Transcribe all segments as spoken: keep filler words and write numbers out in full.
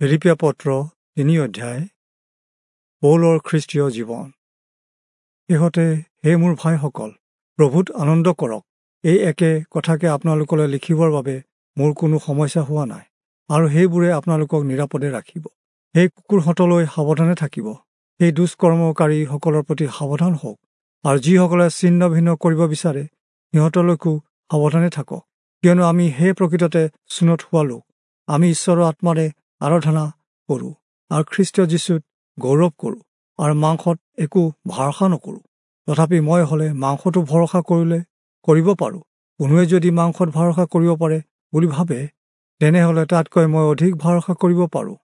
ফিলিপীয়া পত্ৰ তিনি অধ্যায়। পৌলৰ খ্ৰীষ্টীয় জীৱন। শেহতে হে মোৰ ভাইসকল, প্ৰভুত আনন্দ কৰক। এই একে কথাকে আপোনালোকলৈ লিখিবৰ বাবে মোৰ কোনো সমস্যা হোৱা নাই, আৰু সেইবোৰে আপোনালোকক নিৰাপদে ৰাখিব। সেই কুকুৰহঁতলৈ সাৱধানে থাকিব, সেই দুষ্কৰ্মকাৰীসকলৰ প্ৰতি সাৱধান হওক, আৰু যিসকলে ছিন্ন ভিন্ন কৰিব বিচাৰে সিহঁতলৈকো সাৱধানে থাকক। কিয়নো আমি সেই প্ৰকৃততে চুনত হোৱা লোক, আমি ঈশ্বৰৰ আত্মাৰে আৰাধনা কৰোঁ আৰু খ্ৰীষ্ট যীশুত গৌৰৱ কৰোঁ, আৰু মাংসত একো ভৰসা নকৰোঁ। তথাপি মই হ'লে মাংসটো ভৰসা কৰিলে কৰিব পাৰোঁ। কোনোৱে যদি মাংসত ভৰসা কৰিব পাৰে বুলি ভাবে, তেনেহ'লে তাতকৈ মই অধিক ভৰসা কৰিব পাৰোঁ।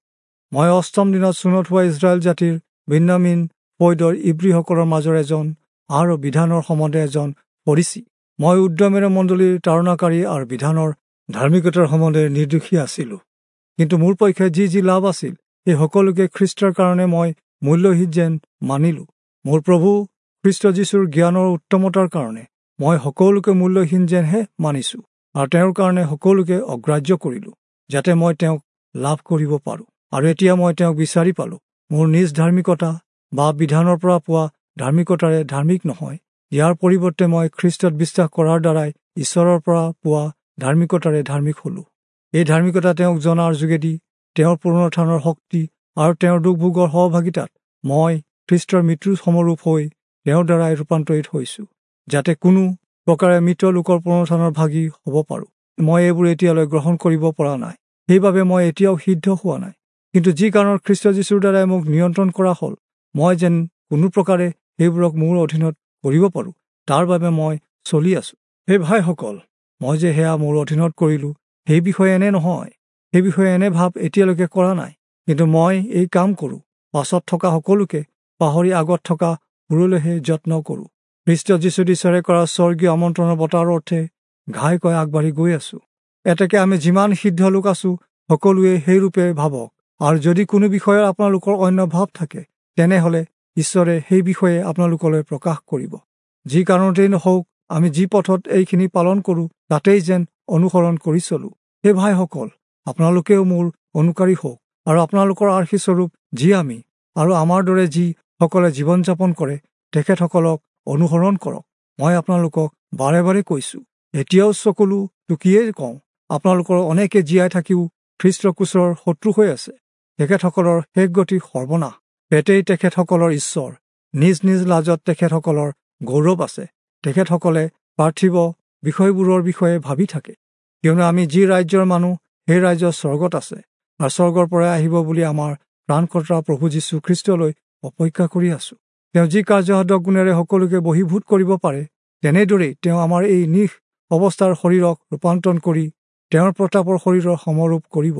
মই অষ্টম দিনত চুনত হোৱা ইজৰাইল জাতিৰ বিন্যামীন ফৈদৰ ইব্ৰীসকলৰ মাজৰ এজন, আৰু বিধানৰ সম্বন্ধে এজন ফৰীচী। মই উদ্যমেৰে মণ্ডলীৰ তাৰণাকাৰী আৰু বিধানৰ ধাৰ্মিকতাৰ সম্বন্ধে নিৰ্দোষী আছিলোঁ। কিন্তু মোৰ পক্ষে যি যি লাভ আছিল, সেই সকলোকে খ্ৰীষ্টৰ কাৰণে মই মূল্যহীন যেন মানিলোঁ। মোৰ প্ৰভু খ্ৰীষ্ট যীশুৰ জ্ঞানৰ উত্তমতাৰ কাৰণে মই সকলোকে মূল্যহীন যেনহে মানিছোঁ, আৰু তেওঁৰ কাৰণে সকলোকে অগ্ৰাহ্য কৰিলোঁ, যাতে মই তেওঁক লাভ কৰিব পাৰোঁ। আৰু এতিয়া মই তেওঁক বিচাৰি পালোঁ। মোৰ নিজ ধাৰ্মিকতা বা বিধানৰ পৰা পোৱা ধাৰ্মিকতাৰে ধাৰ্মিক নহয়, ইয়াৰ পৰিৱৰ্তে মই খ্ৰীষ্টত বিশ্বাস কৰাৰ দ্বাৰাই ঈশ্বৰৰ পৰা পোৱা ধাৰ্মিকতাৰে ধাৰ্মিক হলোঁ। এই ধাৰ্মিকতা তেওঁক জনাৰ যোগেদি তেওঁৰ পুনৰুত্থানৰ শক্তি আৰু তেওঁৰ দুখভোগৰ সহভাগিতাত মই খ্ৰীষ্টৰ মৃত্যুৰ সমৰূপ হৈ তেওঁৰ দ্বাৰাই ৰূপান্তৰিত হৈছোঁ, যাতে কোনো প্ৰকাৰে মৃত লোকৰ পুনৰুত্থানৰ ভাগী হ'ব পাৰোঁ। মই এইবোৰ এতিয়ালৈ গ্ৰহণ কৰিব পৰা নাই, সেইবাবে মই এতিয়াও সিদ্ধ হোৱা নাই। কিন্তু যি কাৰণত খ্ৰীষ্ট যীশুৰ দ্বাৰাই মোক নিয়ন্ত্ৰণ কৰা হ'ল, মই যেন কোনো প্ৰকাৰে সেইবোৰক মোৰ অধীনত কৰিব পাৰোঁ, তাৰ বাবে মই চলি আছোঁ। সেই ভাইসকল, মই যে সেয়া মোৰ অধীনত কৰিলোঁ সেই বিষয়ে এনে নহয়, সেই বিষয়ে এনে ভাৱ এতিয়ালৈকে কৰা নাই। কিন্তু মই এই কাম কৰোঁ, পাছত থকা সকলোকে পাহৰি আগত থকা বোৰলৈহে যত্ন কৰোঁ। খ্ৰীষ্ট যীশুত ঈশ্বৰে কৰা স্বৰ্গীয় আমন্ত্ৰণৰ বঁটাৰ অৰ্থে ঘাইকৈ আগবাঢ়ি গৈ আছোঁ। এতেকে আমি যিমান সিদ্ধ লোক আছোঁ, সকলোৱে সেইৰূপে ভাবক। আৰু যদি কোনো বিষয়ত আপোনালোকৰ অন্য ভাৱ থাকে, তেনেহ'লে ঈশ্বৰে সেই বিষয়ে আপোনালোকলৈ প্ৰকাশ কৰিব। যি কাৰণতেই নহওক, আমি যি পথত এইখিনি পালন কৰোঁ, তাতেই যেন অনুসৰণ কৰি চলোঁ। সেই ভাইসকল, আপোনালোকেও মোৰ অনুকাৰী হওক, আৰু আপোনালোকৰ আৰ্হিস্বৰূপ যি আমি আৰু আমাৰ দৰে যিসকলে জীৱন যাপন কৰে, তেখেতসকলক অনুসৰণ কৰক। মই আপোনালোকক বাৰে বাৰে কৈছোঁ, এতিয়াও চকুলো টুকিয়েই কওঁ, আপোনালোকৰ অনেকে জীয়াই থাকিও খ্ৰীষ্টৰ ক্ৰুচৰ শত্ৰু হৈ আছে। তেখেতসকলৰ শেষ গতি সৰ্বনাশ। পেটেই তেখেতসকলৰ ঈশ্বৰ, নিজ নিজ লাজত তেখেতসকলৰ গৌৰৱ আছে। তেখেতসকলে পাৰ্থিৱ বিষয়বোৰৰ বিষয়ে ভাবি থাকে। কিয়নো আমি যি ৰাজ্যৰ মানুহ, সেই ৰাজ্য স্বৰ্গত আছে, আৰু স্বৰ্গৰ পৰাই আহিব বুলি আমাৰ প্ৰাণকৰ্তা প্ৰভু যীশু খ্ৰীষ্টলৈ অপেক্ষা কৰি আছোঁ। তেওঁ যি কাৰ্যসাধক গুণেৰে সকলোকে বহীভূত কৰিব পাৰে, তেনেদৰেই তেওঁ আমাৰ এই নিশ অৱস্থাৰ শৰীৰক ৰূপান্তৰণ কৰি তেওঁৰ প্ৰতাপৰ শৰীৰৰ সমৰূপ কৰিব।